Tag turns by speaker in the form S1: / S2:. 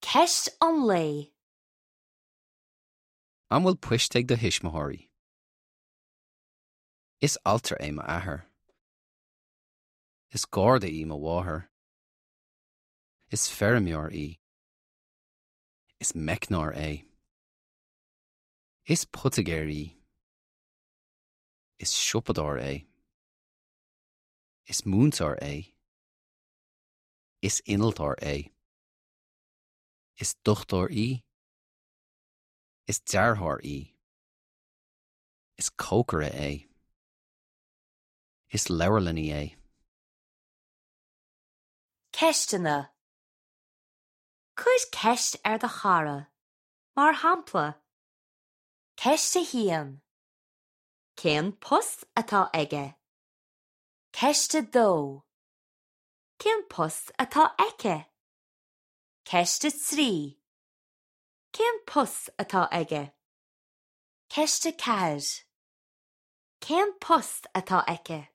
S1: Ceist an lae.
S2: An bhfuil poist ag do thuismitheoirí? Is altra é m'athair. Is garda í mo mháthair. Is feirmeoir í. Is meicneoir é. Is poitigéir í. Is siopadóir é. Is múinteoir é. Is innealtóir é. Is dochtúir í. Is dearthóir í. Is cócaire é. Is leabharlannaí é.
S1: Ceisteanna Cuir ceist ar do chara. Mar shampla, Ceist 1. Cén post atá aige? Ceist 2. Cén post atá aici? Ceist 3. Cén post atá aige? Ceist 4. Cén post atá aici?